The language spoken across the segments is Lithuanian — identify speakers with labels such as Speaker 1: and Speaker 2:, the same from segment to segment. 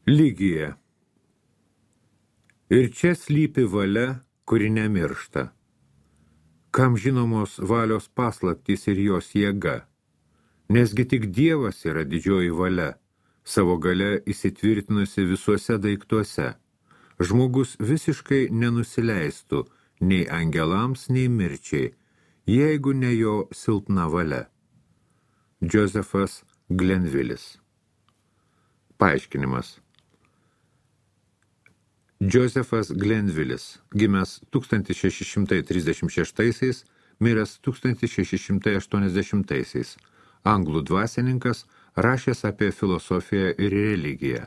Speaker 1: Lygija. Ir čia slypi valia, kuri nemiršta. Kam žinomos valios paslaptys ir jos jėga? Nesgi tik Dievas yra didžioji valia, savo galia įsitvirtinusi visuose daiktuose. Žmogus visiškai nenusileistų nei angelams, nei mirčiai, jeigu ne jo silpna valia. Josefas Glenvilis. Paaiškinimas. Josefas Glenvilis, gimęs 1636, miręs 1680, anglų dvasininkas, rašęs apie filosofiją ir religiją.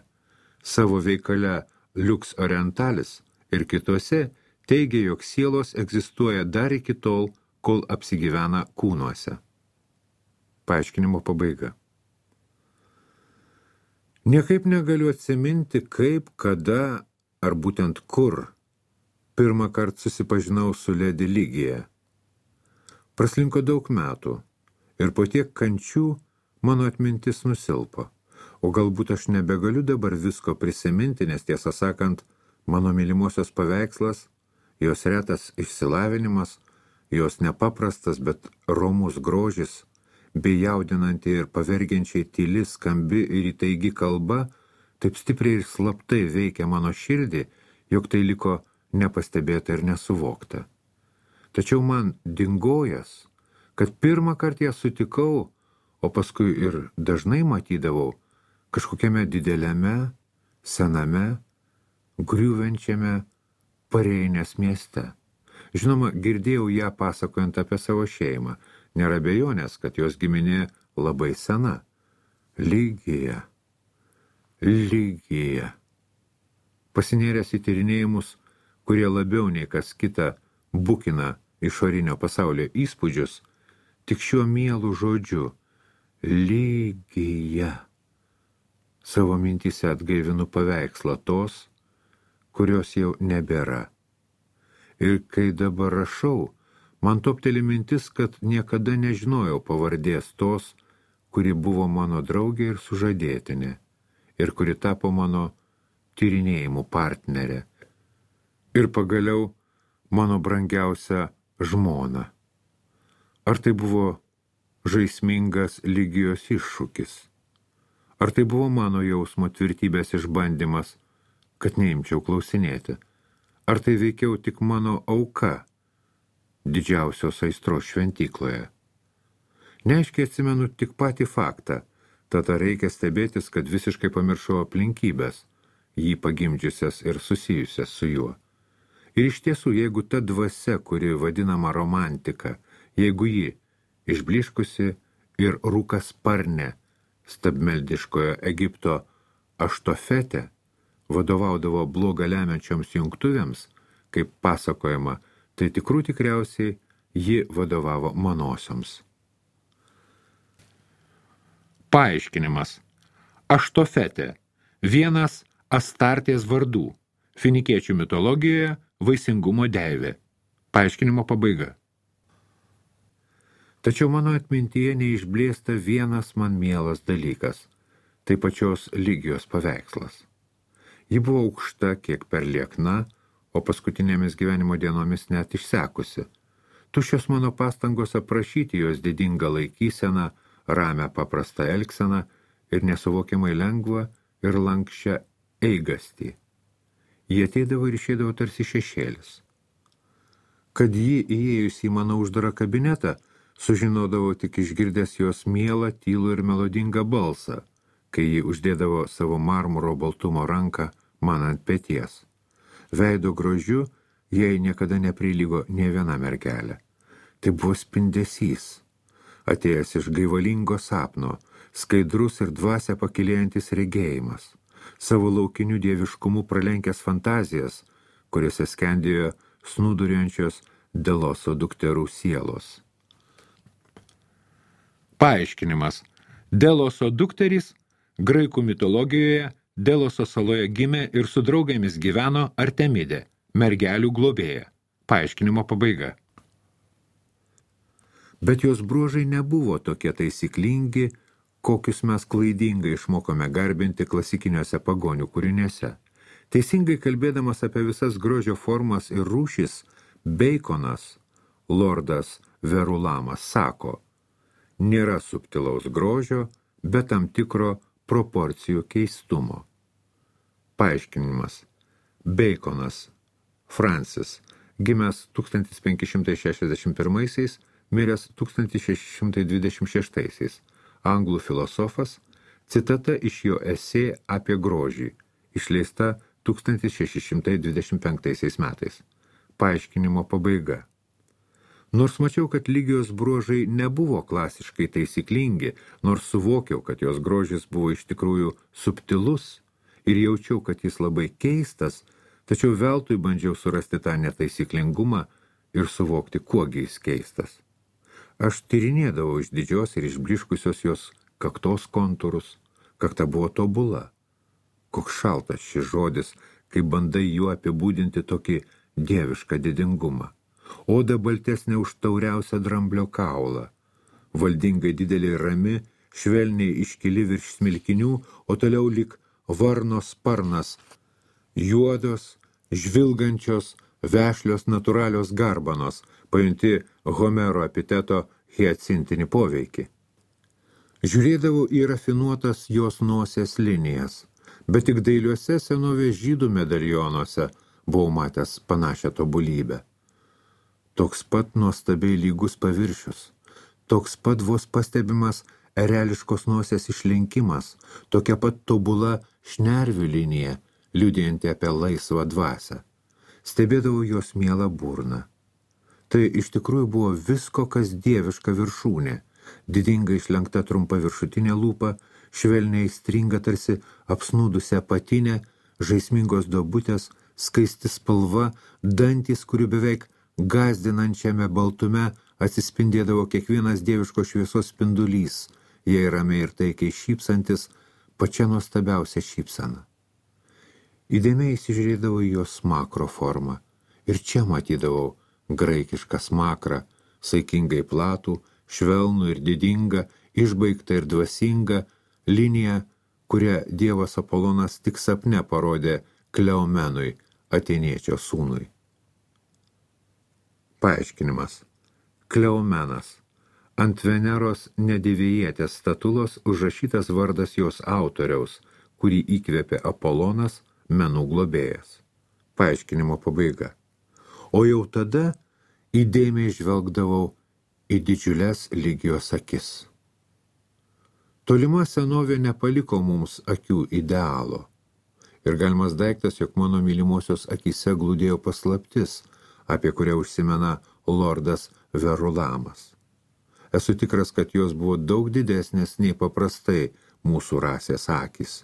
Speaker 1: Savo veikale Lux Orientalis ir kitose teigia, jog sielos egzistuoja dar iki tol, kol apsigyvena kūnuose. Paaiškinimo pabaiga. Niekaip negaliu atsiminti, kaip, kada ar būtent kur pirmą kartą susipažinau su Ledi Lygija. Praslinko daug metų ir po tiek kančių mano atmintis nusilpo, o galbūt aš nebegaliu dabar visko prisiminti, nes tiesą sakant, mano mylimosios paveikslas, jos retas išsilavinimas, jos nepaprastas, bet romus grožis, bei jaudinanti ir pavergiančiai tyli, skambi ir įtaigi kalba, taip stipriai ir slaptai veikia mano širdį, jog tai liko nepastebėta ir nesuvokta. Tačiau man dingojas, kad pirmą kartą ją sutikau, o paskui ir dažnai matydavau kažkokiame dideliame, sename, griūvenčiame Pareinės mieste. Žinoma, girdėjau ją pasakojant apie savo šeimą, nėra abejonės, kad jos giminė labai sena. Lygija. Pasinėręs į tyrinėjimus, kurie labiau nei kas kita bukina išorinio pasaulio įspūdžius, tik šiuo mielu žodžiu Lygija. Savo mintyse atgaivinu paveikslą tos, kurios jau nebėra. Ir kai dabar rašau, man topteli mintis, kad niekada nežinojau pavardės tos, kuri buvo mano draugė ir sužadėtinė, ir kuri tapo mano tyrinėjimų partnerė, ir pagaliau mano brangiausia žmona. Ar tai buvo žaismingas Lygijos iššūkis? Ar tai buvo mano jausmo tvirtybės išbandymas, kad neimčiau klausinėti? Ar tai veikiau tik mano auka didžiausios aistros šventykloje? Neaiškiai atsimenu tik patį faktą, tad reikia stebėtis, kad visiškai pamiršau aplinkybės, jį pagimdžiusias ir susijusias su juo. Ir iš tiesų, jeigu ta dvasia, kuri vadinama romantika, jeigu ji išbliškusi ir rūkasparnė stabmeldiškojo Egipto Aštofete vadovaudavo blogą lemiančioms jungtuvėms, kaip pasakojama, tai tikriausiai ji vadovavo manosioms. Paaiškinimas. Aštofetė. Vienas Astartės vardų. Finikiečių mitologijoje vaisingumo deivė. Paaiškinimo pabaiga. Tačiau mano atmintyje neišblėsta vienas man mielas dalykas. Tai pačios Lygijos paveikslas. Ji buvo aukšta, kiek per liekna, o paskutinėmis gyvenimo dienomis net išsekusi. Tuščios mano pastangos aprašyti jos didingą laikyseną, ramią paprastą elgseną ir nesuvokiamai lengvą ir lankščią eigastį. Jie ateidavo ir išeidavo tarsi šešėlis. Kad ji įėjus į mano uždarą kabinetą, sužinodavau tik išgirdęs jos mielą, tylų ir melodingą balsą, kai ji uždėdavo savo marmuro baltumo ranką man ant peties. Veido grožiu jai niekada neprilygo nė viena mergelė. Tai buvo spindesys, atėjęs iš gaivalingo sapno, skaidrus ir dvasią pakilėjantis regėjimas, savo laukinių dieviškumų pralenkęs fantazijas, kuriuose skendėjo snūduriuojančios Deloso dukterų sielos. Paaiškinimas. Deloso dukterys graikų mitologijoje Deloso saloje gimė ir su draugėmis gyveno Artemidė, mergelių globėja. Paaiškinimo pabaiga. Bet jos bruožai nebuvo tokie taisyklingi, kokius mes klaidingai išmokome garbinti klasikiniuose pagonių kūriniuose. Teisingai kalbėdamas apie visas grožio formas ir rūšis, Beikonas, lordas Verulamas, sako, nėra subtilaus grožio, bet tam tikro proporcijų keistumo. Paaiškinimas. Beikonas, Francis, gimęs 1561, miręs 1626, anglų filosofas, citata iš jo esė apie grožį, išleista 1625 metais. Paaiškinimo pabaiga. Nors mačiau, kad Ligijos bruožai nebuvo klasiškai taisyklingi, nors suvokiau, kad jos grožis buvo iš tikrųjų subtilus ir jaučiau, kad jis labai keistas, tačiau veltui bandžiau surasti tą netaisyklingumą ir suvokti, kuogi jis keistas. Aš tyrinėdavau iš didžios ir išbliškusios jos kaktos kontūrus, kakta buvo tobula. Koks šaltas šis žodis, kai bandai juo apibūdinti tokį dievišką didingumą. Oda baltesnė už tauriausią dramblio kaulą. Valdingai didelė rami, švelniai iškili virš smilkinių, o toliau lyg varno sparnas, juodos, žvilgančios, vešlios natūralios garbanos, pajunti Homero epiteto hiacintinį poveikį. Žiūrėdavau į rafinuotas jos nosies linijas, bet tik dailiuose senovės žydų medalionuose buvau matęs panašią tobulybę. Toks pat nuostabiai lygus paviršius, toks pat vos pastebimas ereliškos nosies išlinkimas, tokia pat tobula šnervių linija, liudijanti apie laisvą dvasią. Stebėdavau jos mielą burną. Tai iš tikrųjų buvo visko, kas dieviška viršūnė, didingai išlenkta trumpa viršutinė lūpa, švelniai stringa tarsi apsnūdusi apatinė, žaismingos duobutės, skaisti spalva, dantys, kurių beveik gąsdinančiame baltume atsispindėdavo kiekvienas dieviško šviesos spindulys, jei ramiai ir taikiai šypsantis, pačia nuostabiausia šypsena. Įdėmiai įsižiūrėdavau į jos smakro formą ir čia matydavau graikišką smakrą, saikingai platų, švelnų ir didingą, išbaigtą ir dvasingą liniją, kurią dievas Apolonas tik sapne parodė Kleomenui, atėniečio sūnui. Paaiškinimas. Kleomenas. Ant Veneros nedivėjietės statulos užrašytas vardas jos autoriaus, kurį įkvėpė Apolonas, menų globėjas. Paaiškinimo pabaiga. O jau tada įdėmiai žvelgdavau į didžiulės Ligijos akis. Tolima senovė nepaliko mums akių idealo. Ir galimas daiktas, jog mano mylimosios akyse glūdėjo paslaptis, apie kurią užsimena lordas Verulamas. Esu tikras, kad jos buvo daug didesnės nei paprastai mūsų rasės akys.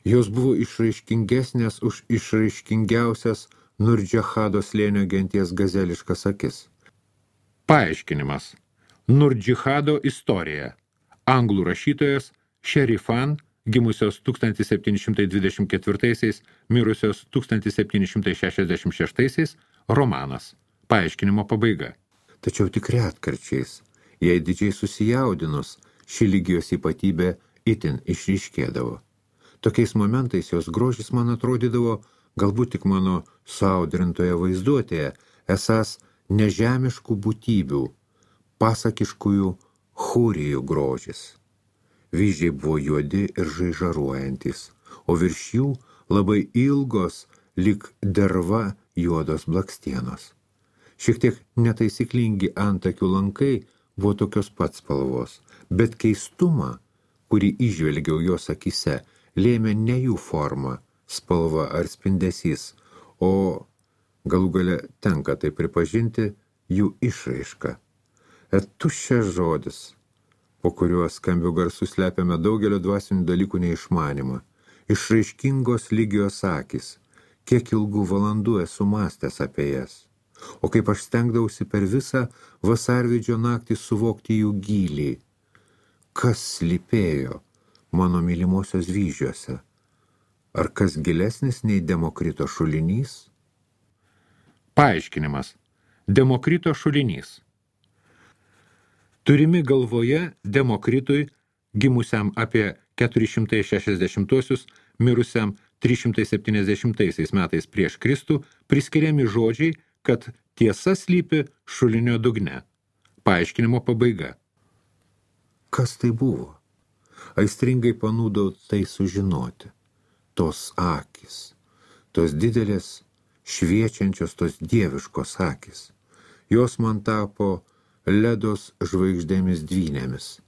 Speaker 1: Jos buvo išraiškingesnės už išraiškingiausias Nurdžihado slėnio genties gazeliškas akis. Paaiškinimas. Nurdžihado istorija. Anglų rašytojas Šerifan, gimusios 1724, mirusios 1766, romanas. Paaiškinimo pabaiga. Tačiau tik retkarčiais, jei didžiai susijaudinus, ši Ligijos ypatybė itin išryškėdavo. Tokiais momentais jos grožis man atrodydavo, galbūt tik mano suaudrintoje vaizduotėje, esas nežemiškų būtybių, pasakiškųjų hūrijų grožis. Vyzdžiai buvo juodi ir žaižaruojantis, o virš jų labai ilgos, lyg derva juodos blakstienos. Šiek tiek netaisyklingi antakių lankai buvo tokios pat spalvos, bet keistumą, kurį įžvelgiau jos akyse, lėmė ne jų forma, spalva ar spindesys, o galų gale tenka tai pripažinti jų išraiška. Tuščias žodis, po kuriuo skambių garsų slepiame daugelio dvasinių dalykų neišmanimą. Išraiškingos Ligijos akys, kiek ilgų valandų esu mąstęs apie jas. O kaip aš stengdavausi per visą vasarvidžio naktį suvokti jų gylį. Kas slypėjo mano mylimosios vyzdžiuose? Ar kas gilesnis nei Demokrito šulinys? Paaiškinimas. Demokrito šulinys. Turimi galvoje Demokritui gimusiam apie 460-osius, mirusiam 370 metais prieš Kristų, priskiriami žodžiai, kad tiesa slypi šulinio dugne. Paaiškinimo pabaiga. Kas tai buvo? Aistringai panūdau tai sužinoti. Tos akys, tos didelės, šviečiančios, tos dieviškos akys. Jos man tapo ledos žvaigždėmis dvynėmis,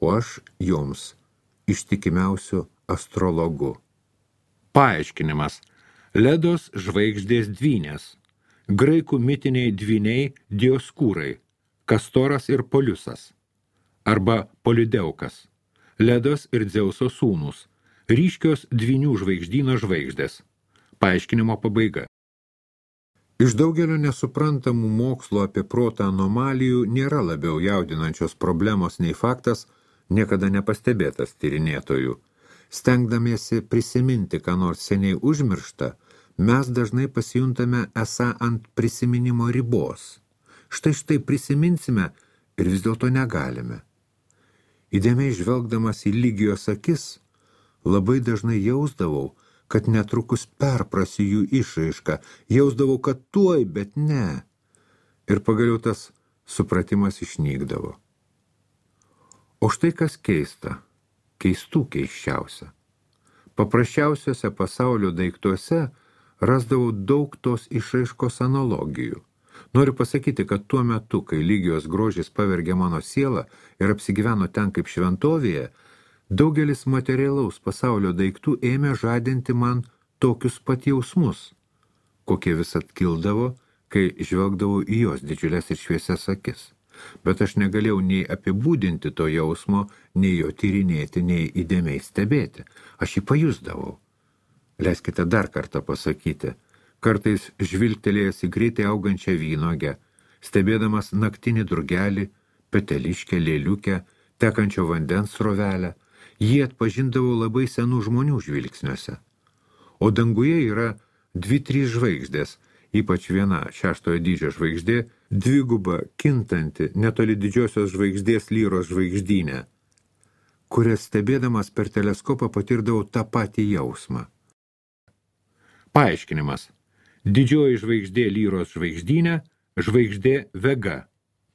Speaker 1: o aš joms ištikimiausiu astrologu. Paaiškinimas. Ledos žvaigždės dvynės. Graikų mitiniai dvyniai Dioskūrai, Kastoras ir Poliusas, arba Polideukas. Ledos ir Dzeuso sūnūs. Ryškios dvynių žvaigždyno žvaigždės. Paaiškinimo pabaiga. Iš daugelio nesuprantamų mokslo apie protą anomalijų nėra labiau jaudinančios problemos nei faktas, niekada nepastebėtas tyrinėtojų. Stengdamiesi prisiminti, ką nors seniai užmiršta, mes dažnai pasijuntame esą ant prisiminimo ribos. Štai prisiminsime ir vis dėlto negalime. Įdėmiai žvelgdamas į Ligijos akis, labai dažnai jausdavau, kad netrukus perprasiu jų išraišką, jausdavau, kad tuoj, bet ne. Ir pagaliau tas supratimas išnykdavo. O štai kas keista, keistų keisčiausia. Paprasčiausiuose pasaulio daiktuose rasdavau daug tos išraiškos analogijų. Noriu pasakyti, kad tuo metu, kai Ligijos grožis pavergė mano sielą ir apsigyveno ten kaip šventovėje, daugelis materialaus pasaulio daiktų ėmė žadinti man tokius pat jausmus, kokie vis atkildavo, kai žvelgdavau į jos didžiulės ir šviesias akis. Bet aš negalėjau nei apibūdinti to jausmo, nei jo tyrinėti, nei įdėmiai stebėti. Aš jį pajusdavau. Leiskite dar kartą pasakyti. Kartais žvilgtelėjęs į greitai augančią vynogę, stebėdamas naktinį drugelį, peteliškę, lėliukę, tekančio vandens srovelę, jį atpažindavau labai senų žmonių žvilgsniuose. O danguje yra 2-3 žvaigždės, ypač viena 6 dydžio žvaigždė, dviguba, kintanti, netoli didžiosios žvaigždės Lyros žvaigždynę, kurias stebėdamas per teleskopą patirdavau tą patį jausmą. Paaiškinimas. Didžioji žvaigždė Lyros žvaigždynė, žvaigždė Vega.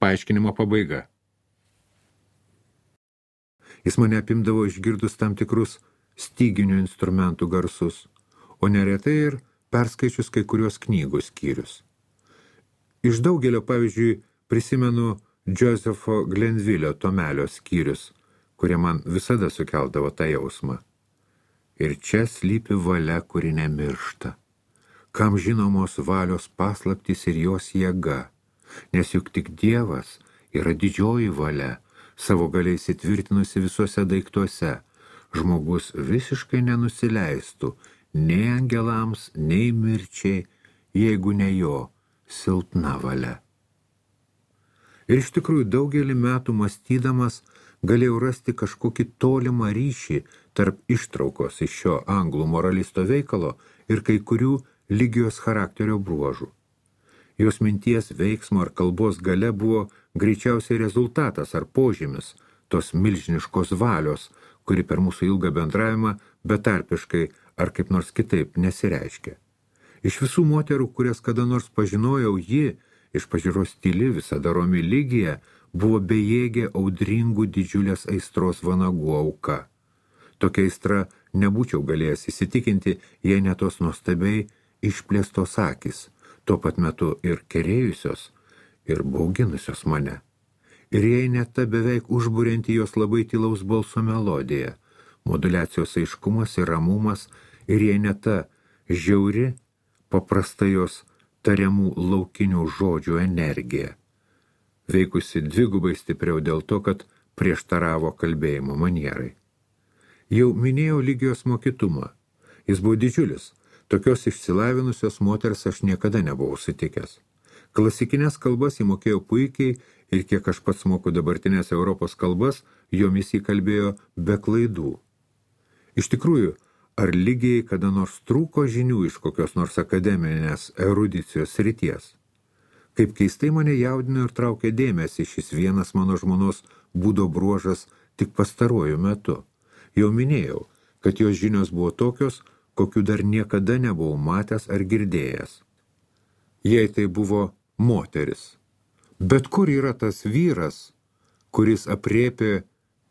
Speaker 1: Paaiškinimo pabaiga. Jis mane apimdavo išgirdus tam tikrus styginių instrumentų garsus, o neretai ir perskaičius kai kurios knygų skyrius. Iš daugelio, pavyzdžiui, prisimenu Josepho Glenville'o tomelio skyrius, kurie man visada sukeldavo tą jausmą. Ir čia slypi valia, kuri nemiršta. Kam žinomos valios paslaptys ir jos jėga, nes juk tik Dievas yra didžioji valia, savo galiai įsitvirtinusi visuose daiktuose, žmogus visiškai nenusileistų nei angelams, nei mirčiai, jeigu ne jo silpna valia. Ir iš tikrųjų daugelį metų mąstydamas galėjau rasti kažkokį tolimą ryšį tarp ištraukos iš šio anglų moralisto veikalo ir kai kurių Ligijos charakterio bruožų. Jos minties, veiksmo ar kalbos galia buvo greičiausiai rezultatas ar požymis tos milžiniškos valios, kuri per mūsų ilgą bendravimą betarpiškai ar kaip nors kitaip nesireiškia. Iš visų moterų, kurias kada nors pažinojau, ji, iš pažiūros tyli, visada romi Ligija, buvo bejėgė audringų didžiulės aistros vanagų auka. Tokia aistra nebūčiau galėjęs įsitikinti, jei ne tos nuostabiai išplėstos akys, tuo pat metu ir kerėjusios, ir bauginusios mane. Ir jei ne ta beveik užburianti jos labai tylaus balso melodija, moduliacijos aiškumas ir ramumas, ir jei ne ta žiauri, paprasta jos tariamų laukinių žodžių energija, veikusi dvigubai stipriau dėl to, kad prieštaravo kalbėjimo manierai. Jau minėjau Ligijos mokytumą. Jis buvo didžiulis. Tokios išsilavinusios moters aš niekada nebuvau sutikęs. Klasikinės kalbas įmokėjo puikiai ir kiek aš pats moku dabartinės Europos kalbas, jomis įkalbėjo be klaidų. Iš tikrųjų, ar Ligijai kada nors trūko žinių iš kokios nors akademinės erudicijos srities? Kaip keistai mane jaudino ir traukė dėmesį šis vienas mano žmonos būdo bruožas tik pastaruoju metu. Jau minėjau, kad jos žinios buvo tokios, kokių dar niekada nebuvau matęs ar girdėjęs. Jei tai buvo moteris. Bet kur yra tas vyras, kuris aprėpė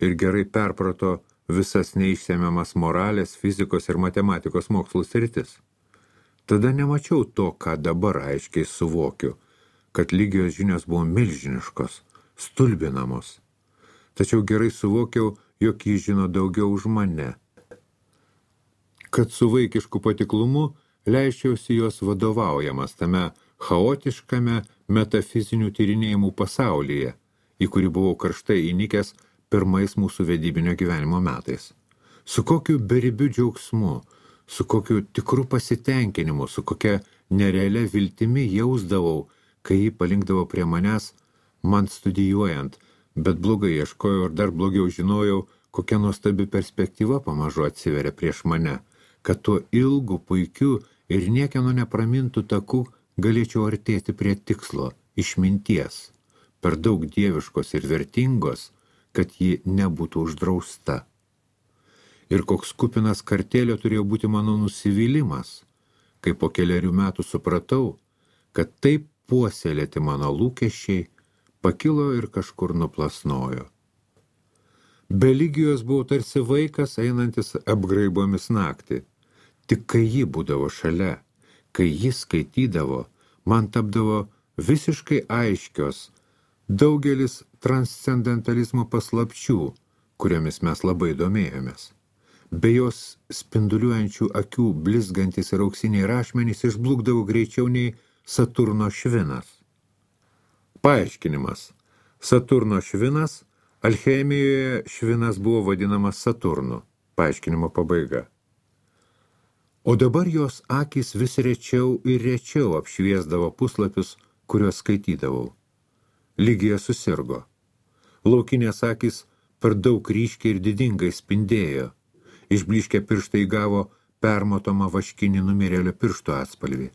Speaker 1: ir gerai perprato visas neišsemiamas moralės, fizikos ir matematikos mokslų sritis? Tada nemačiau to, ką dabar aiškiai suvokiu, kad Ligijos žinios buvo milžiniškos, stulbinamos. Tačiau gerai suvokiau, jog jis žino daugiau už mane. Kad su vaikišku patiklumu leisčiausi jos vadovaujamas tame chaotiškame metafizinių tyrinėjimų pasaulyje, į kurį buvau karštai įnikęs pirmais mūsų vedybinio gyvenimo metais. Su kokiu beribiu džiaugsmu, su kokiu tikru pasitenkinimu, su kokia nerealia viltimi jausdavau, kai jį palinkdavo prie manęs, man studijuojant, bet blogai ieškojau ir dar blogiau žinojau, kokia nuostabi perspektyva pamažu atsiveria prieš mane, kad tuo ilgu, puikiu ir niekieno nepramintų taku galėčiau artėti prie tikslo, išminties, per daug dieviškos ir vertingos, kad ji nebūtų uždrausta. Ir koks kupinas kartėlio turėjo būti mano nusivylimas, kai po kelerių metų supratau, kad taip puoselėti mano lūkesčiai pakilo ir kažkur nuplasnojo. Be Ligijos buvau tarsi vaikas einantis apgraibomis naktį. Tik kai ji būdavo šalia, kai jis skaitydavo, man tapdavo visiškai aiškios daugelis transcendentalizmo paslapčių, kuriomis mes labai domėjomės. Be jos spinduliuojančių akių blizgantis ir auksiniai rašmenys išblukdavo greičiau nei Saturno švinas. Paaiškinimas. Saturno švinas, alchemijoje švinas buvo vadinamas Saturnu. Paaiškinimo pabaiga. O dabar jos akys vis rečiau ir rečiau apšviesdavo puslapius, kuriuos skaitydavau. Ligija susirgo. Laukinės akys per daug ryškiai ir didingai spindėjo. Išbliškę pirštai įgavo permatomą vaškinį numirėlio piršto atspalvį,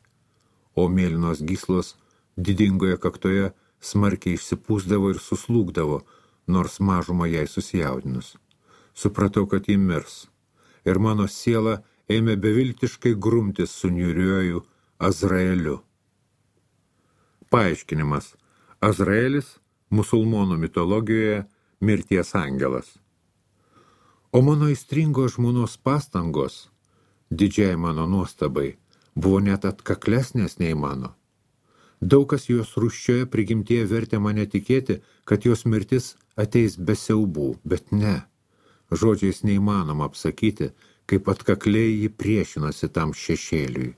Speaker 1: o mėlynos gyslos didingoje kaktoje smarkiai išsipūsdavo ir suslūgdavo, nors mažumą jai susijaudinus. Supratau, kad ji mirs, ir mano siela ėmė beviltiškai grumtis su niūriuoju Azraeliu. Paaiškinimas. Azraelis musulmonų mitologijoje mirties angelas. O mano aistringo žmonos pastangos, didžiai mano nuostabai, buvo net atkaklesnės nei mano. Daug kas jos rūsčioje prigimtyje vertė mane tikėti, kad jos mirtis ateis be siaubų, bet ne. Žodžiais neįmanoma apsakyti, kaip atkakliai ji priešinosi tam šešėliui.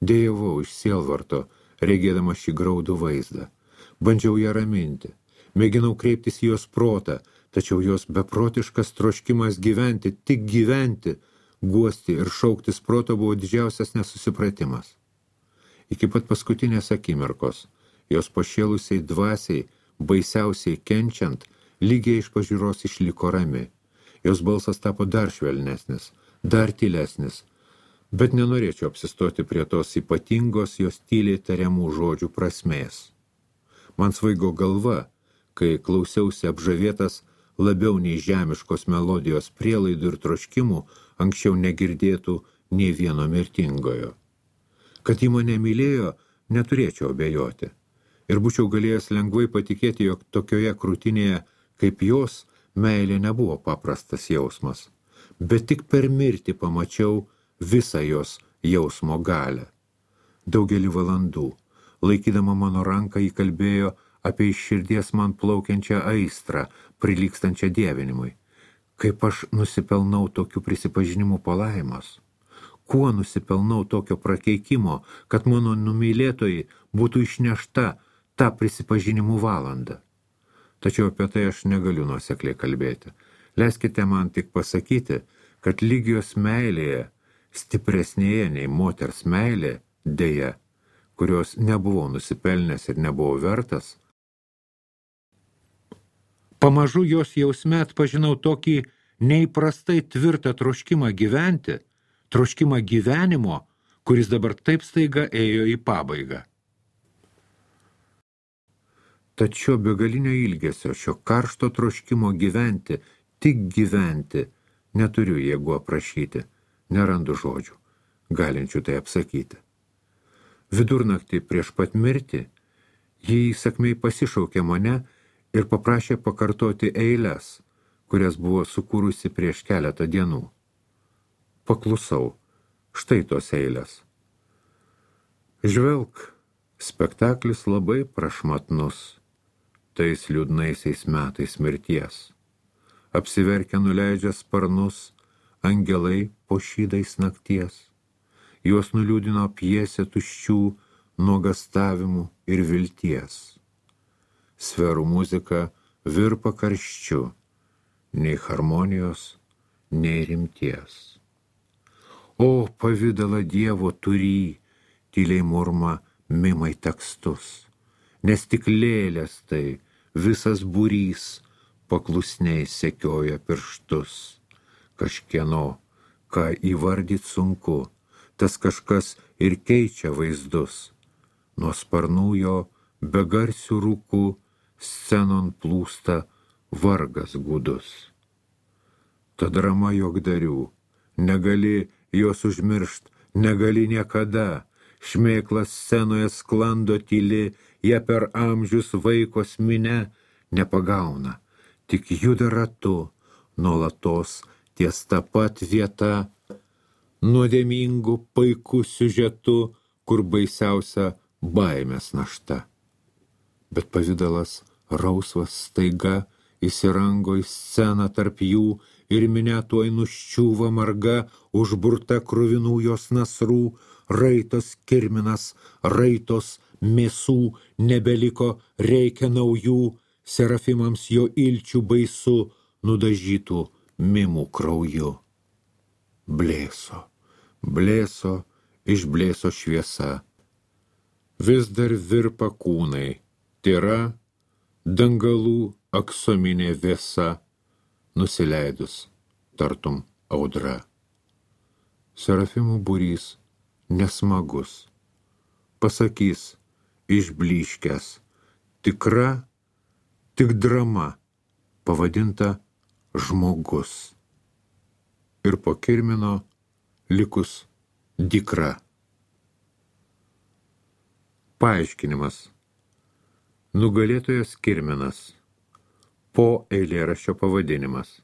Speaker 1: Dėjavau iš sielvarto, regėdama šį graudų vaizdą. Bandžiau ją raminti, mėginau kreiptis į jos protą, tačiau jos beprotiškas troškimas gyventi, tik gyventi, guosti ir šauktis proto buvo didžiausias nesusipratimas. Iki pat paskutinės akimirkos, jos pašėlusiai dvasiai, baisiausiai kenčiant, lygiai iš pažiūros išliko rami. Jos balsas tapo dar švelnesnis, dar tylesnis, bet nenorėčiau apsistoti prie tos ypatingos jos tyliai tariamų žodžių prasmės. Man svaigo galva, kai klausiausi apžavėtas labiau nei žemiškos melodijos prielaidų ir troškimų anksčiau negirdėtų nei vieno mirtingojo. Kad ji mane mylėjo, neturėčiau abejoti. Ir būčiau galėjęs lengvai patikėti, jog tokioje krūtinėje kaip jos meilė nebuvo paprastas jausmas. Bet tik per mirtį pamačiau visą jos jausmo galią. Daugelį valandų, laikydama mano ranką, ji kalbėjo apie iš širdies man plaukiančią aistrą, prilygstančią dievinimui. Kaip aš nusipelnau tokių prisipažinimų palaimos? Kuo nusipelnau tokio prakeikimo, kad mano numylėtojai būtų išnešta tą prisipažinimų valandą? Tačiau apie tai aš negaliu nuosekliai kalbėti. Leiskite man tik pasakyti, kad Ligijos meilėje, stipresnėje nei moters meilė, deja, kurios nebuvau nusipelnęs ir nebuvau vertas, pamažu jos jausme atpažinau tokį neįprastai tvirtą troškimą gyventi, troškimą gyvenimo, kuris dabar taip staiga ėjo į pabaigą. Tad šio begalinio ilgesio, šio karšto troškimo gyventi tik gyventi, neturiu jėgų aprašyti, nerandu žodžių, galinčių tai apsakyti. Vidurnaktį prieš pat mirtį ji įsakmiai pasišaukė mane ir paprašė pakartoti eiles, kurias buvo sukūrusi prieš keletą dienų. Paklusau, štai tos eilės. Žvelk, spektaklis labai prašmatnus, tais liūdnaisiais metais mirties. Apsiverkę nuleidžia sparnus, angelai po šydais nakties. Juos nuliūdino pjesė tuščių nuogastavimų ir vilties. Sferų muzika virpa karščiu, nei harmonijos, nei rimties. O pavidalą Dievo turį, tyliai murma mimai tekstus, nes tik lėlės tai visas būrys paklusniai sekioja pirštus. Kažkieno, ką įvardyt sunku, tas kažkas ir keičia vaizdus. Nuo sparnų jo begarsių rūkų scenon plūsta vargas gūdus. Ta drama juokdarių, negali jos užmiršt, negali niekada. Šmėklas scenoje sklando tyli, ją per amžius vaikos mine nepagauna, tik juda ratu, nuolatos ties ta pat vieta, nuodėmingų paikų siužetu, kur baisiausia baimės našta. Bet pavidalas rausvas staiga įsirango į sceną tarp jų ir minia tuoj nuščiūva marga, užburta kruvinų jos nasrų, raitos kirminas, raitos mėsų nebeliko, reikia naujų, serafimams jo ilčių baisu, nudažytų mimų krauju. Blėso, blėso, išblėso šviesa. Vis dar virpa kūnai, tyra, dangalų aksominė vėsa, nusileidus, tartum audra. Serafimų būrys nesmagus, pasakys išblyškęs, tikra, tik drama, pavadinta žmogus. Ir po kirmino likus dykra. Paaiškinimas. Nugalėtojas kirminas. Po eilėraščio pavadinimas.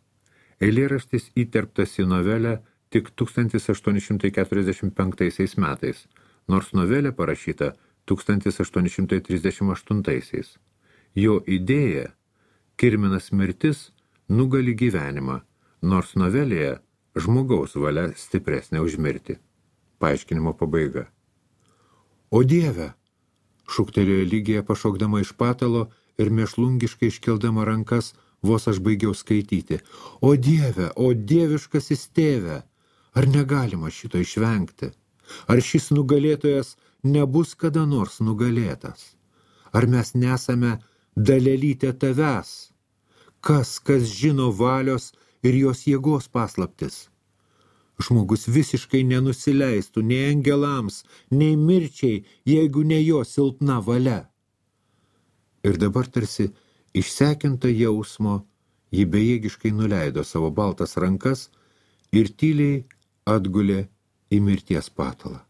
Speaker 1: Eilėraštis įterptas į novelę tik 1845 metais, nors novelė parašyta 1838. Jo idėja kirminas mirtis nugali gyvenimą, nors novelėje žmogaus valia stipresnė už mirtį. Paaiškinimo pabaiga. O Dieve, šūktelėjo Ligija pašokdama iš patalo ir mėšlungiškai iškeldama rankas, vos aš baigiau skaityti. O Dieve, o dieviškasis tėve, ar negalima šito išvengti? Ar šis nugalėtojas nebus kada nors nugalėtas? Ar mes nesame dalelytė tavęs? Kas žino valios ir jos jėgos paslaptis? Žmogus visiškai nenusileistų nei angelams, nei mirčiai, jeigu ne jo silpna valia. Ir dabar tarsi išsekinta jausmo, ji bejėgiškai nuleido savo baltas rankas ir tyliai atgulė į mirties patalą.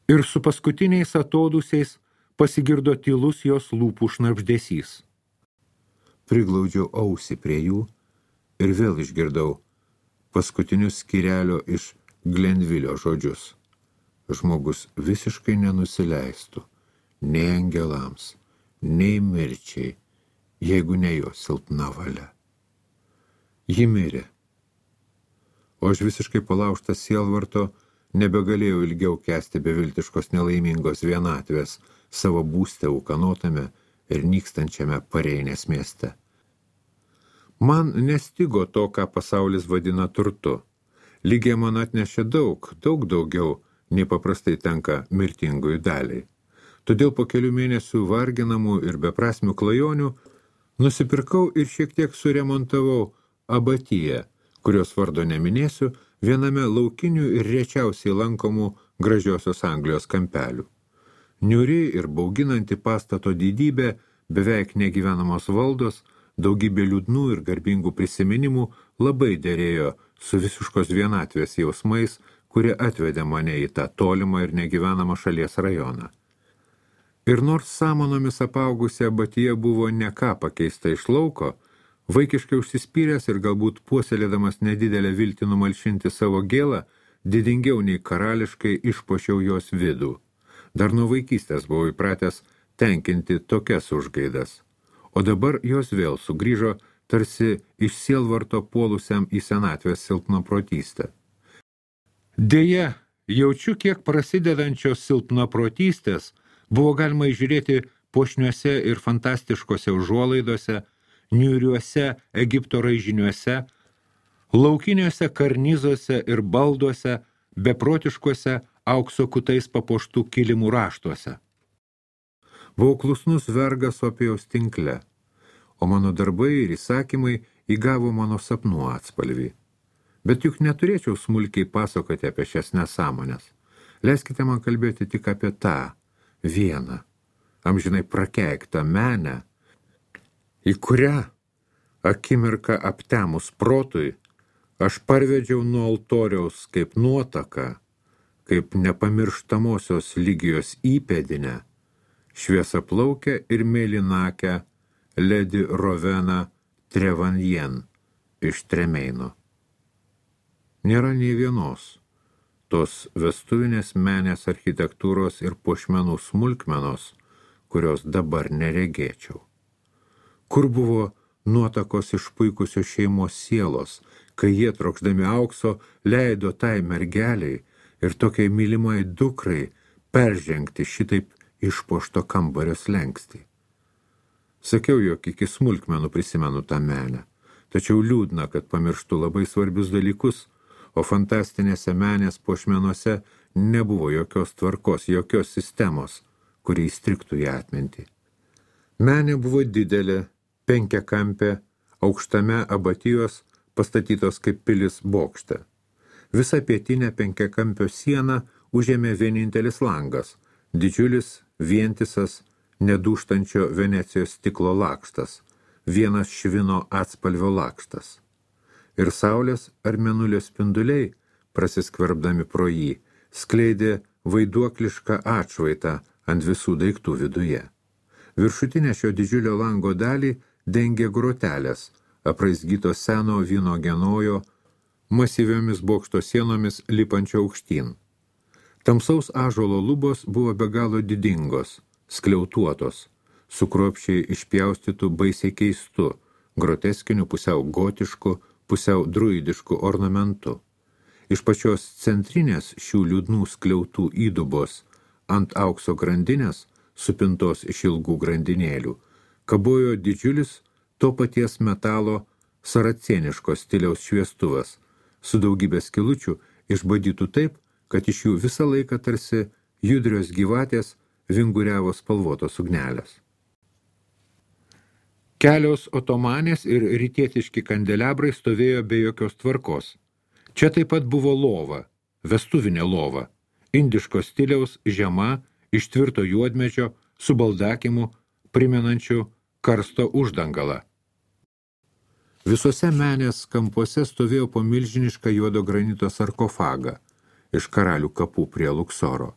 Speaker 1: Ir su paskutiniais atodūsiais pasigirdo tylus jos lūpų šnabždesys. Priglaudžiau ausį prie jų ir vėl išgirdau paskutinius skyrelio iš Glenvilio žodžius. Žmogus visiškai nenusileistų nei angelams, nei mirčiai, jeigu ne jo silpna valia. Ji mirė. O aš visiškai palaužtas sielvarto nebegalėjau ilgiau kęsti beviltiškos nelaimingos vienatvės savo būste ūkanotame ir nykstančiame Pareinės mieste. Man nestigo to, ką pasaulis vadina turtu. Ligija man atnešė daug daugiau, nei paprastai tenka mirtingųjų daliai. Todėl po kelių mėnesių varginamų ir beprasmių klajonių nusipirkau ir šiek tiek suremontavau abatiją, kurios vardo neminėsiu, viename laukinių ir rečiausiai lankomų gražiosios Anglijos kampelių. Niūri ir bauginanti pastato didybė, beveik negyvenamos valdos, daugybė liūdnų ir garbingų prisiminimų labai derėjo su visiškos vienatvės jausmais, kurie atvedė mane į tą tolimą ir negyvenamą šalies rajoną. Ir nors samanomis apaugusi abatija buvo ne ką pakeista iš lauko, vaikiškai užsispyręs ir galbūt puoselėdamas nedidelę viltį numalšinti savo gėlą, didingiau nei karališkai išpuošiau jos vidų. Dar nuo vaikystės buvau įpratęs tenkinti tokias užgaidas, o dabar jos vėl sugrįžo tarsi iš sielvarto puolusiam į senatvės silpnaprotystę. Deja, jaučiu, kiek prasidedančios silpnaprotystės buvo galima įžiūrėti puošniuose ir fantastiškose užuolaidose, niūriuose Egipto raižiniuose, laukiniuose karnizuose ir balduose, beprotiškuose aukso kutais papuoštų kilimų raštuose. Buvau klusnus vergas Opijaus tinkle, o mano darbai ir įsakymai įgavo mano sapnų atspalvį. Bet juk neturėčiau smulkiai pasakoti apie šias nesąmonės. Leiskite man kalbėti tik apie tą vieną, amžinai prakeiktą menę, į kurią akimirką aptemus protui aš parvedžiau nuo altoriaus kaip nuotaką, kaip nepamirštamosios Lygijos įpėdinę, šviesaplaukę ir mėlynakę Lady Rowena Trevanjen iš Tremeino. Nėra nei vienos tos vestuvinės menės architektūros ir puošmenų smulkmenos, kurios dabar neregėčiau. Kur buvo nuotakos išpuikusios šeimos sielos, kai jie trokšdami aukso leido tai mergeliai ir tokiai mylimai dukrai peržengti šitaip išpuošto kambario slenkstį. Sakiau, jog iki smulkmenų prisimenu tą menę, tačiau liūdna, kad pamirštu labai svarbius dalykus, o fantastinėse menės puošmenuose nebuvo jokios tvarkos, jokios sistemos, kuri įstrigtų į atmintį. Menė buvo didelė, penkiakampė, aukštame abatijos pastatytos kaip pilis bokšte. Visą pietinę penkiakampio sieną užėmė vienintelis langas, didžiulis, vientisas, nedūžtančio Venecijos stiklo lakštas, vienas švino atspalvio lakštas. Ir saulės ar mėnulio spinduliai, prasiskverbdami pro jį, skleidė vaiduoklišką atšvaitą ant visų daiktų viduje. Viršutinę šio didžiulio lango dalį dengė grotelės, apraizgytos seno vyno genojo, masyviomis bokšto sienomis lipančio aukštyn. Tamsaus ąžuolo lubos buvo be galo didingos, skliautuotos, su kruopščiai išpjaustytų baisiai keistu, groteskiniu pusiau gotišku, pusiau druidišku ornamentu. Iš pačios centrinės šių liūdnų skliautų įdubos ant aukso grandinės, supintos iš ilgų grandinėlių, kabojo didžiulis to paties metalo saracėniško stiliaus šviestuvas, su daugybė skilučių išbadytų taip, kad iš jų visą laiką tarsi judrios gyvatės vinguriavo spalvotos ugnelės. Kelios otomanės ir rytietiški kandelebrai stovėjo be jokios tvarkos. Čia taip pat buvo lova, vestuvinė lova, indiško stiliaus žema, iš tvirto juodmedžio, su baldakimu, primenančiu karsto uždangalą. Visose menės kampuose stovėjo po milžinišką juodo granito sarkofagą iš karalių kapų prie Luksoro.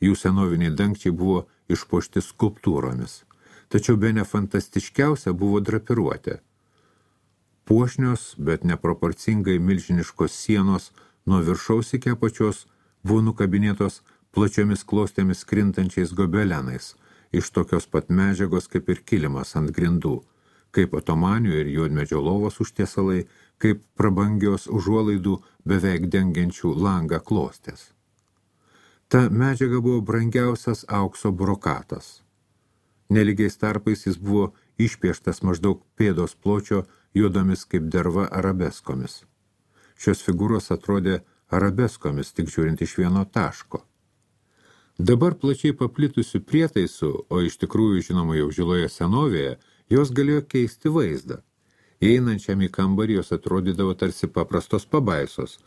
Speaker 1: Jų senoviniai dangčiai buvo išpuošti skulptūromis, tačiau bene fantastiškiausia buvo drapiruotė. Puošnios, bet neproporcingai milžiniškos sienos nuo viršaus iki apačios buvo nukabinėtos plačiomis klostėmis krintančiais gobelenais, iš tokios pat medžiagos kaip ir kilimas ant grindų, kaip otomanių ir juodmedžio lovos užtiesalai, kaip prabangios užuolaidų beveik dengiančių langą klostės. Ta medžiaga buvo brangiausias aukso brokatas. Nelygiais tarpais jis buvo išpieštas maždaug pėdos pločio juodomis kaip derva arabeskomis. Šios figūros atrodė arabeskomis, tik žiūrint iš vieno taško. Dabar plačiai paplitusių prietaisų, o iš tikrųjų žinoma jau žiloje senovėje, jos galėjo keisti vaizdą. Įeinančiam į kambarį jos atrodydavo tarsi paprastos pabaisos.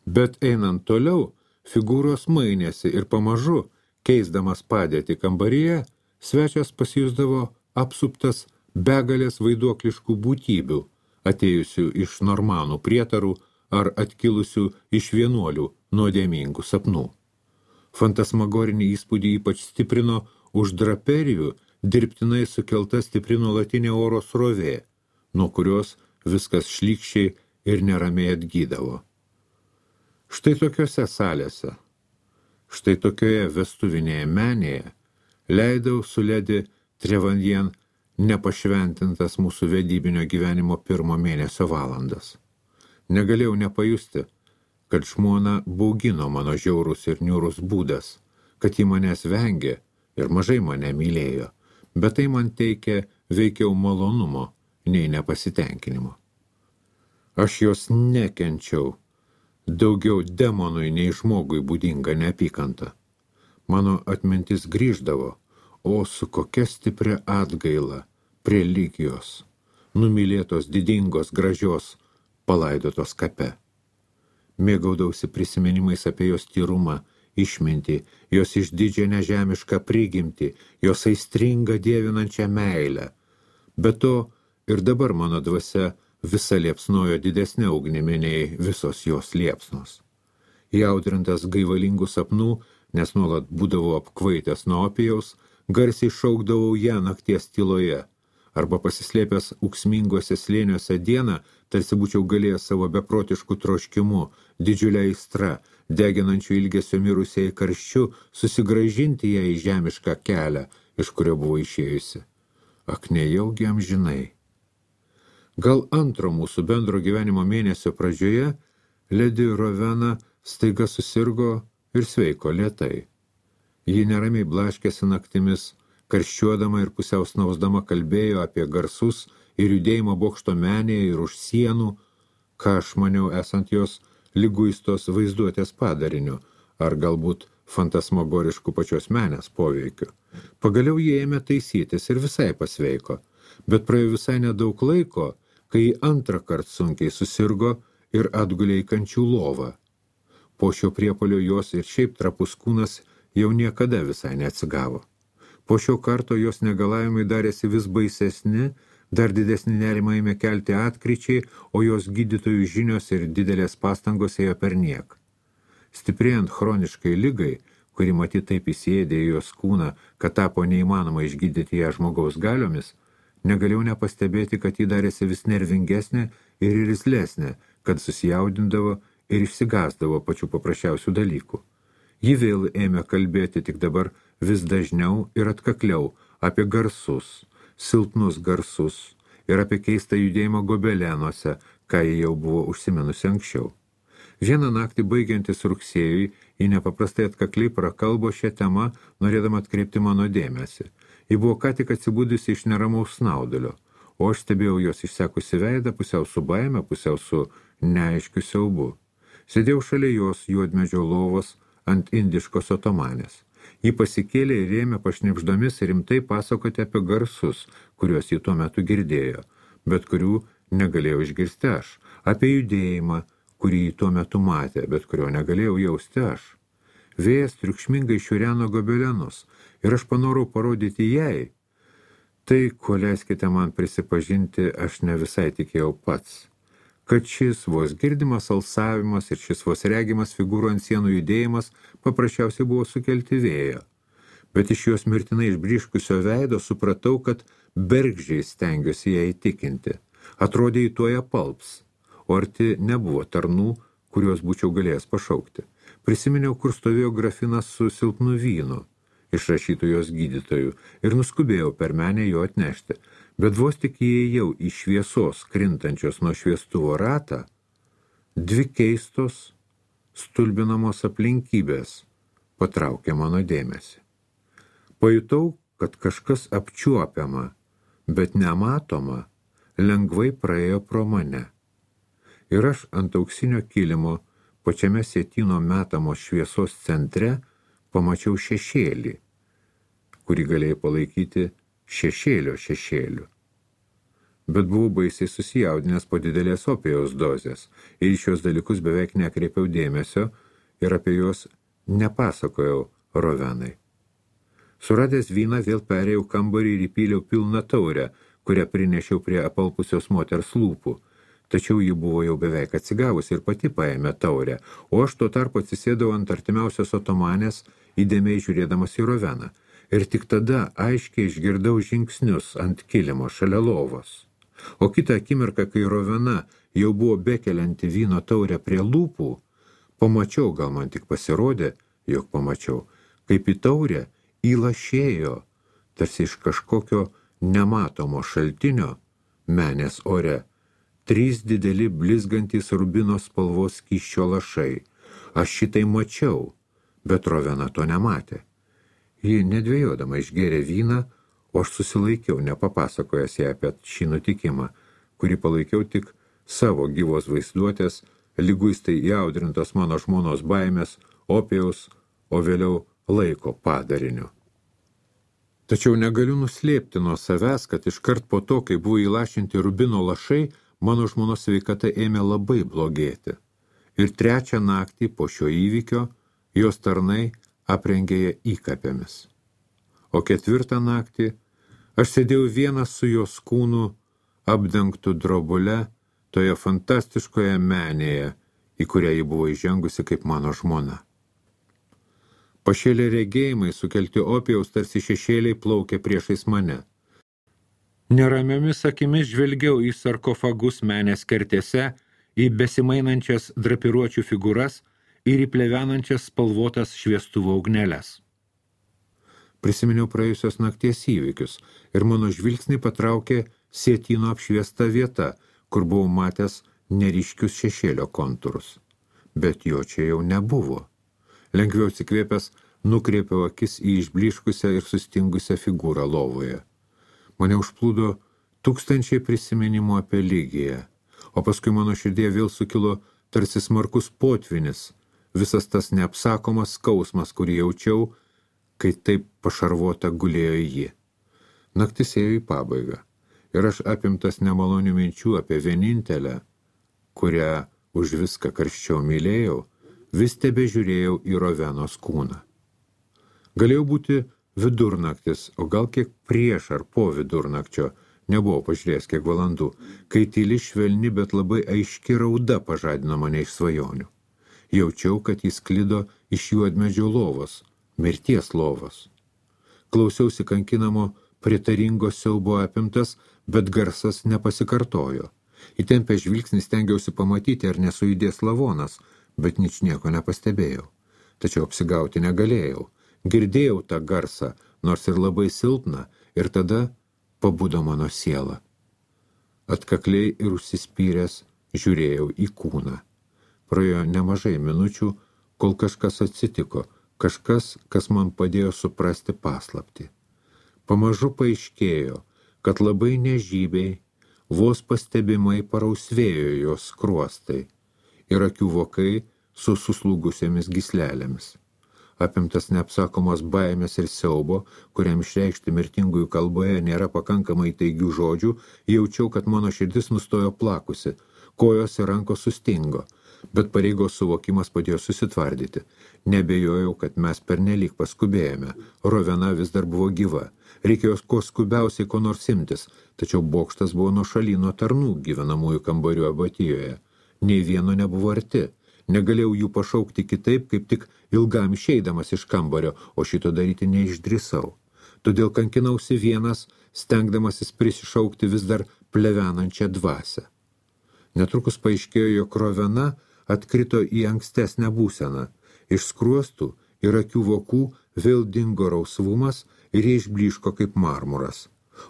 Speaker 1: Bet einant toliau, figūros mainėsi ir pamažu, keisdamas padėtį kambaryje, svečias pasijusdavo apsuptas begalės vaiduokliškų būtybių, atėjusių iš normanų prietarų ar atkilusių iš vienuolių nuodėmingų sapnų. Fantasmagorinį įspūdį ypač stiprino už draperijų dirbtinai sukelta stipri nuolatinė oro srovė, nuo kurios viskas šlykščiai ir neramiai atgydavo. Štai tokiose salėse, štai tokioje vestuvinėje menėje leidau su Ledi Trevanjen nepašventintas mūsų vedybinio gyvenimo 1 mėnesio valandas. Negalėjau nepajusti, kad žmona baugino mano žiaurus ir niūrus būdas, kad ji manęs vengė ir mažai mane mylėjo, bet tai man teikė veikiau malonumo nei nepasitenkinimo. Aš jos nekenčiau, daugiau demonui nei žmogui būdinga neapykanta. Mano atmintis grįždavo, o su kokia stipria atgaila prie lygijos, numylėtos didingos gražios, palaidotos kape. Mėgaudausi prisiminimais apie jos tyrumą, išmintį, jos išdidžią nežemišką prigimtį, jos aistringą dievinančią meilę. Be to ir dabar mano dvasia visa liepsnojo didesnė ugnimi nei visos jos liepsnos. Įaudrintas gaivalingų sapnų, nes nuolat būdavau apkvaitęs nuo opijaus, garsiai šaukdavau ją nakties tyloje, arba pasislėpęs ūksminguose slėniuose dieną, tarsi būčiau galėjęs savo beprotiškų troškimu, didžiulę aistrą, deginančių ilgesio mirusiai karščiu, susigrąžinti ją į žemišką kelią, iš kurio buvo išėjusi. Ak, nejaugi amžinai. Gal antro mūsų bendro gyvenimo mėnesio pradžioje Ledi Rovena staiga susirgo ir sveiko lėtai. Ji neramiai blaškėsi naktimis, karščiuodama ir pusiau snausdama kalbėjo apie garsus ir judėjimo bokšto menėje ir už sienų, ką aš maniau esant jos liguistos vaizduotės padariniu, ar galbūt fantasmagoriškų pačios menės poveikiu. Pagaliau jie ėmė taisytis ir visai pasveiko, bet praėjo visai nedaug laiko, kai antrą kartą sunkiai susirgo ir atgulė į kančių lovą. Po šio priepuolio jos ir šiaip trapus kūnas jau niekada visai neatsigavo. Po šio karto jos negalavimai darėsi vis baisesni, dar didesnį nerimą ėmė kelti atkryčiai, o jos gydytojų žinios ir didelės pastangos ėjo perniek. Stiprėjant chroniškai ligai, kuri matyt taip įsiėdė į jos kūną, kad tapo neįmanoma išgydyti ją žmogaus galiomis, negalėjau nepastebėti, kad ji darėsi vis nervingesnė ir irzlesnė, kad susijaudindavo ir išsigąsdavo pačių paprasčiausių dalykų. Ji vėl ėmė kalbėti tik dabar vis dažniau ir atkakliau apie garsus, silpnus garsus ir apie keistą judėjimą gobelenuose, ką ji jau buvo užsiminusi anksčiau. Vieną naktį baigiantis rugsėjui, ji nepaprastai atkakliai prakalbo šią temą, norėdama atkreipti mano dėmesį. Ji buvo ką tik atsibudusi iš neramaus snaudulio, o aš stebėjau jos išsekusi veidą, pusiau su baime, pusiau su neaiškiu siaubu. Sėdėjau šalia jos juodmedžio lovos ant indiškos otomanės. Ji pasikėlė ir ėmė pašnibždomis rimtai pasakoti apie garsus, kuriuos ji tuo metu girdėjo, bet kurių negalėjau išgirsti aš, apie judėjimą, kurį ji tuo metu matė, bet kurio negalėjau jausti aš. Vėjas triukšmingai šiureno gobelenus ir aš panorau parodyti jai. Tai, ko leiskite man prisipažinti, aš ne visai tikėjau pats. Kad šis vos girdimas alsavimas ir šis vos regimas figūrų ant sienų judėjimas paprasčiausiai buvo sukelti vėjo. Bet iš jos mirtinai išbryškusio veido supratau, kad bergždžiai stengiuosi ją įtikinti. Atrodė į tuoja palps, o arti nebuvo tarnų, kuriuos būčiau galėjęs pašaukti. Prisiminiau, kur stovėjo grafinas su silpnu vynu, išrašytų jos gydytojų, ir nuskubėjau per menę jo atnešti. Bet vos tik įėjau į šviesos krintančios nuo šviestuvo ratą, dvi keistos, stulbinamos aplinkybės patraukė mano dėmesį. Pajutau, kad kažkas apčiuopiama, bet nematoma, lengvai praėjo pro mane. Ir aš ant auksinio kilimo, pačiame sietyno metamos šviesos centre, pamačiau šešėlį, kurį galėjai palaikyti šešėliu. Bet buvau baisiai susijaudinęs po didelės opijaus dozės ir į šios dalykus beveik nekreipiau dėmesio ir apie juos nepasakojau Rovenai. Suradęs vyną vėl perėjau kambarį ir įpyliau pilną taurę, kurią prinešiau prie apalpusios moters lūpų. Tačiau ji buvo jau beveik atsigavusi ir pati paėmė taurę, o aš tuo tarpu atsisėdau ant artimiausios otomanės, įdėmiai žiūrėdamas į Roveną. Ir tik tada aiškiai išgirdau žingsnius ant kilimo šalia lovos. O kitą akimirką, kai Rovena jau buvo bekelianti vyno taurę prie lūpų, pamačiau, gal man tik pasirodė, jog pamačiau, kaip į taurę įlašėjo, tarsi iš kažkokio nematomo šaltinio, menės ore, 3 dideli blizgantys rubino spalvos skysčio lašai. Aš šitai mačiau, bet Rovena to nematė. Ji nedvejodama išgėrė vyną, o aš susilaikiau, nepapasakojęs ją apie šį nutikimą, kurį palaikiau tik savo gyvos vaizduotės, liguistai įaudrintos mano žmonos baimės, opijaus, o vėliau laiko padariniu. Tačiau negaliu nuslėpti nuo savęs, kad iškart po to, kai buvo įlašinti rubino lašai, mano žmonos sveikata ėmė labai blogėti. Ir 3 naktį po šio įvykio jos tarnai aprengė ją įkapėmis. O 4 naktį aš sėdėjau vienas su jos kūnu apdengtų drobule toje fantastiškoje menėje, į kurią ji buvo įžengusi kaip mano žmona. Pašėlė regėjimai sukelti opijaus tarsi šešėliai plaukė priešais mane. Neramiomis akimis žvelgiau į sarkofagus menės kertėse, į besimainančias drapiruočių figūras ir į plevenančias spalvotas šviestuvo ugneles. Prisiminiau praėjusios nakties įvykius ir mano žvilgsnį patraukė sietyno apšviesta vieta, kur buvau matęs neryškius šešėlio kontūrus. Bet jo čia jau nebuvo. Lengviau atsikvėpęs, nukreipiau akis į išblyškusią ir sustingusią figūrą lovoje. Mane užplūdo 1000 prisiminimų apie Ligiją, o paskui mano širdėje vėl sukilo tarsi smarkus potvinis, visas tas neapsakomas skausmas, kurį jaučiau, kai taip pašarvota gulėjo ji. Naktis ėjo į pabaigą, ir aš apimtas nemalonių minčių apie vienintelę, kurią už viską karščiau mylėjau, vis tebežiūrėjau į Rovenos kūną. Galėjau būti vidurnaktis, o gal kiek prieš ar po vidurnakčio, nebuvau pažiūrėjęs kiek valandų, kai tyli švelni, bet labai aiški rauda pažadino mane iš svajonių. Jaučiau, kad jis sklido iš juodmedžio lovos, mirties lovos. Klausiausi kankinamo pritaringo siaubo apimtas, bet garsas nepasikartojo. Įtempę žvilgsnį stengiausi pamatyti, ar nesujudės lavonas, bet ničnieko nepastebėjau. Tačiau apsigauti negalėjau. Girdėjau tą garsą, nors ir labai silpną, ir tada pabudo mano siela. Atkakliai ir užsispyręs žiūrėjau į kūną. Praėjo nemažai minučių, kol kažkas atsitiko, kažkas, kas man padėjo suprasti paslaptį. Pamažu paaiškėjo, kad labai nežybiai, vos pastebimai parausvėjo jos skruostai ir akių vokai su suslūgusėmis gyslelėmis. Apimtas neapsakomos baimės ir siaubo, kuriam išreikšti mirtingųjų kalboje nėra pakankamai taigių žodžių, jaučiau, kad mano širdis nustojo plakusi, kojos ir rankos sustingo, bet pareigos suvokimas padėjo susitvardyti. Nebejojau, kad mes pernelyg paskubėjome, Rovena vis dar buvo gyva, reikėjo kuo skubiausiai ko nors imtis, tačiau bokštas buvo nuošaly nuo tarnų gyvenamųjų kambarių abatijoje. Nei vieno nebuvo arti. Negalėjau jų pašaukti kitaip, kaip tik ilgam išeidamas iš kambario, o šito daryti neišdrįsau. Todėl kankinausi vienas, stengdamasis prisišaukti vis dar plevenančią dvasią. Netrukus paaiškėjo, jog Rovena atkrito į ankstesnę būseną. Iš skruostų ir akių vokų vėl dingo rausvumas ir jie išblyško kaip marmuras.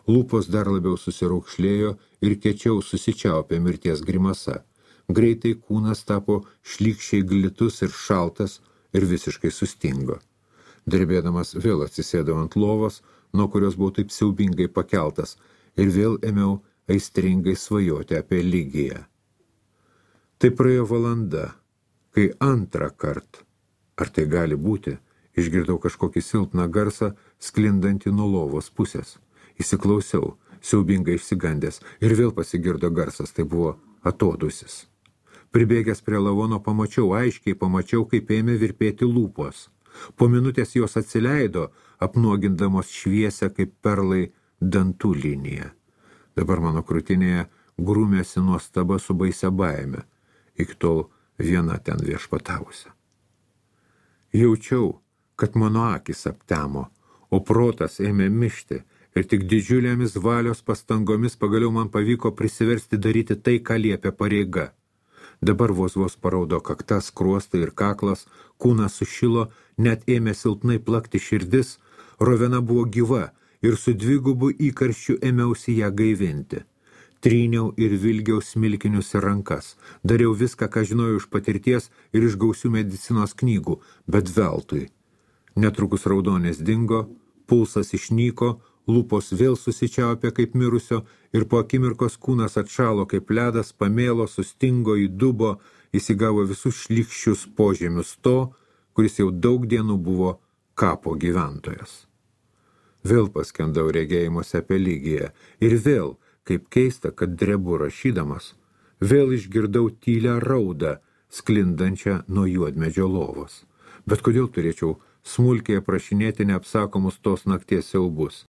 Speaker 1: Lūpos dar labiau susiraukšlėjo ir kiečiau susičiaupė mirties grimasa. Greitai kūnas tapo šlykščiai glitus ir šaltas ir visiškai sustingo. Drebėdamas vėl atsisėdau ant lovos, nuo kurios buvau taip siaubingai pakeltas, ir vėl ėmiau aistringai svajoti apie Ligiją. Tai praėjo valanda, kai antrą kartą, ar tai gali būti, išgirdau kažkokį silpną garsą sklindantį nuo lovos pusės. Įsiklausiau, siaubingai išsigandęs, ir vėl pasigirdo garsas, tai buvo atodusis. Pribėgęs prie lavono aiškiai pamačiau, kaip ėmė virpėti lūpos. Po minutės jos atsileido, apnuogindamos šviesę kaip perlai dantų liniją. Dabar mano krūtinėje grūmėsi nuostaba su baisia baime, iki tol viena ten viešpatavusi. Jaučiau, kad mano akis aptemo, o protas ėmė mišti ir tik didžiulėmis valios pastangomis pagaliau man pavyko prisiversti daryti tai, ką liepia pareiga. Dabar vos paraudo kaktas, skruostai ir kaklas, kūnas sušilo, net ėmė silpnai plakti širdis, rovena buvo gyva ir su dvigubu įkarščiu ėmiausi ją gaivinti. Tryniau ir vilgiau smilkinius ir rankas, dariau viską, ką žinojau iš patirties ir iš gausių medicinos knygų, bet veltui. Netrukus raudonis dingo, pulsas išnyko, lūpos vėl susičiaupė kaip mirusio ir po akimirkos kūnas atšalo kaip ledas, pamėlo, sustingo, įdubo, įsigavo visus šlykščius požemius to, kuris jau daug dienų buvo kapo gyventojas. Vėl paskendau regėjimuose apie Lygiją ir vėl, kaip keista, kad drebu rašydamas, vėl išgirdau tylią raudą, sklindančią nuo juodmedžio lovos. Bet kodėl turėčiau smulkiai aprašinėti neapsakomus tos nakties siaubus?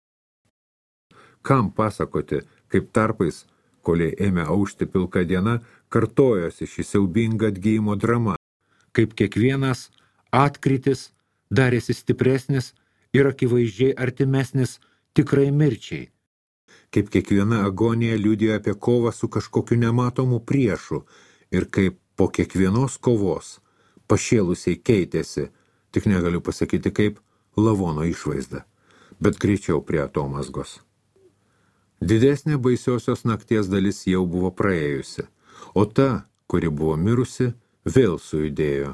Speaker 1: Kam pasakoti, kaip tarpais, koliai ėmė aušti pilka diena, kartojosi ši siaubinga atgijimo drama, kaip kiekvienas atkritis darėsi stipresnis ir akivaizdžiai artimesnis tikrai mirčiai, kaip kiekviena agonija liudijo apie kovą su kažkokiu nematomu priešu ir kaip po kiekvienos kovos pašėlusiai keitėsi, tik negaliu pasakyti kaip, lavono išvaizda, bet greičiau prie atomazgos. Didesnė baisiosios nakties dalis jau buvo praėjusi, o ta, kuri buvo mirusi, vėl sujudėjo,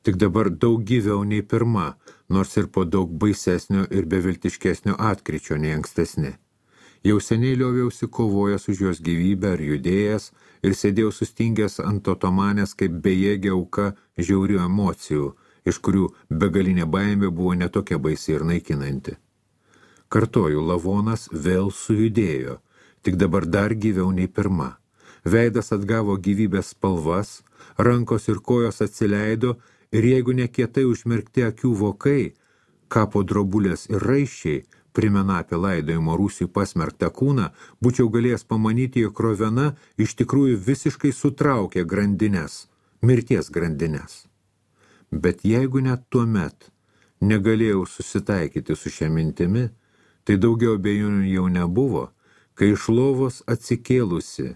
Speaker 1: tik dabar daug gyviau nei pirma, nors ir po daug baisesnio ir beviltiškesnio atkryčio nei ankstesni. Jau seniai lioviausi kovojęs už jos gyvybę ar judėjęs ir sėdėjau sustingęs ant otomanės kaip bejėgė auka žiaurių emocijų, iš kurių begalinė baimė buvo netokia baisi ir naikinanti. Kartoju, lavonas vėl sujudėjo, tik dabar dar gyviau nei pirma. Veidas atgavo gyvybės spalvas, rankos ir kojos atsileido ir jeigu nekietai užmerkti akių vokai, kapo drobulės ir raiščiai, primena apie laidojimo rūsiui pasmerktą kūną, būčiau galėjęs pamanyti, jog rovena iš tikrųjų visiškai sutraukė grandines, mirties grandines. Bet jeigu net tuomet negalėjau susitaikyti su šia mintimi, tai daugiau abejonių jau nebuvo, kai iš lovos atsikėlusi,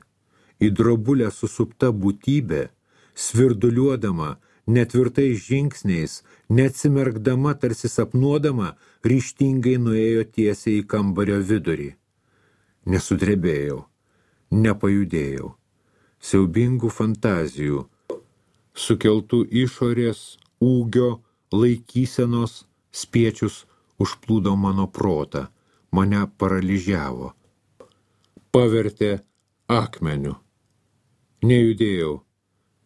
Speaker 1: į drobulę susupta būtybė, svirduliuodama, netvirtais žingsniais, neatsimerkdama, tarsi sapnuodama, ryžtingai nuėjo tiesiai į kambario vidurį. Nesudrebėjau, nepajudėjau. Siaubingų fantazijų, sukeltų išorės, ūgio, laikysenos, spiečius užplūdo mano protą, mane paralyžiavo. Pavertė akmeniu. Nejudėjau,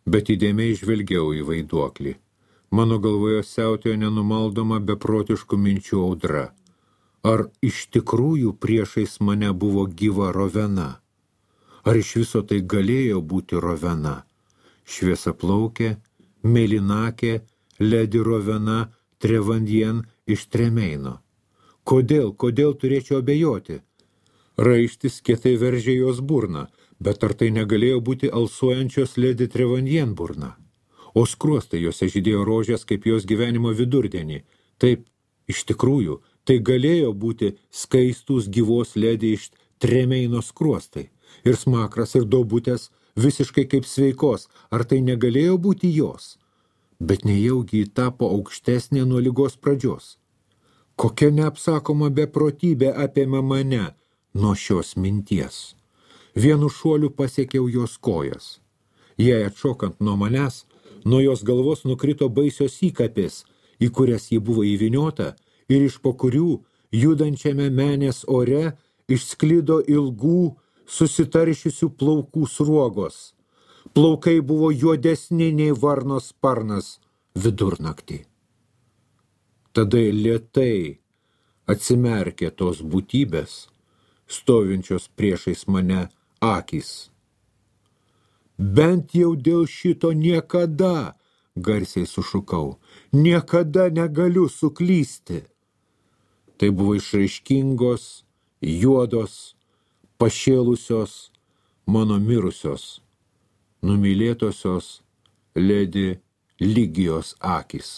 Speaker 1: bet įdėmiai žvelgiau į vaiduoklį. Mano galvoje siautėjo nenumaldoma beprotiškų minčių audra. Ar iš tikrųjų priešais mane buvo gyva rovena? Ar iš viso tai galėjo būti rovena? Šviesaplaukė, mėlynakė, ledi rovena Trevandien iš Tremeino. Kodėl turėčiau abejoti? Raištis kietai veržė jos burną, bet ar tai negalėjo būti alsuojančios ledi Trevandien burna? O skruostai jose žydėjo rožės kaip jos gyvenimo vidurdienį. Taip, iš tikrųjų, tai galėjo būti skaistus gyvos ledi iš Tremeino skruostai. Ir smakras, ir daubutės, visiškai kaip sveikos. Ar tai negalėjo būti jos? Bet nejaugi ji tapo aukštesnė nuo ligos pradžios. Kokia neapsakoma beprotybė apėmė mane nuo šios minties. Vienu šuoliu pasiekiau jos kojas. Jei atšokant nuo manęs, nuo jos galvos nukrito baisios įkapės, į kurias ji buvo įvyniota ir iš po kurių, judančiame menės ore, išsklido ilgų, susitaršiusių plaukų sruogos. Plaukai buvo juodesni nei varnos sparnas vidurnaktį. Tada lėtai atsimerkė tos būtybės, stovinčios priešais mane akys. Bent jau dėl šito niekada, garsiai sušukau, niekada negaliu suklysti. Tai buvo išraiškingos, juodos, pašėlusios mano mirusios, numylėtosios ledi Ligijos akys.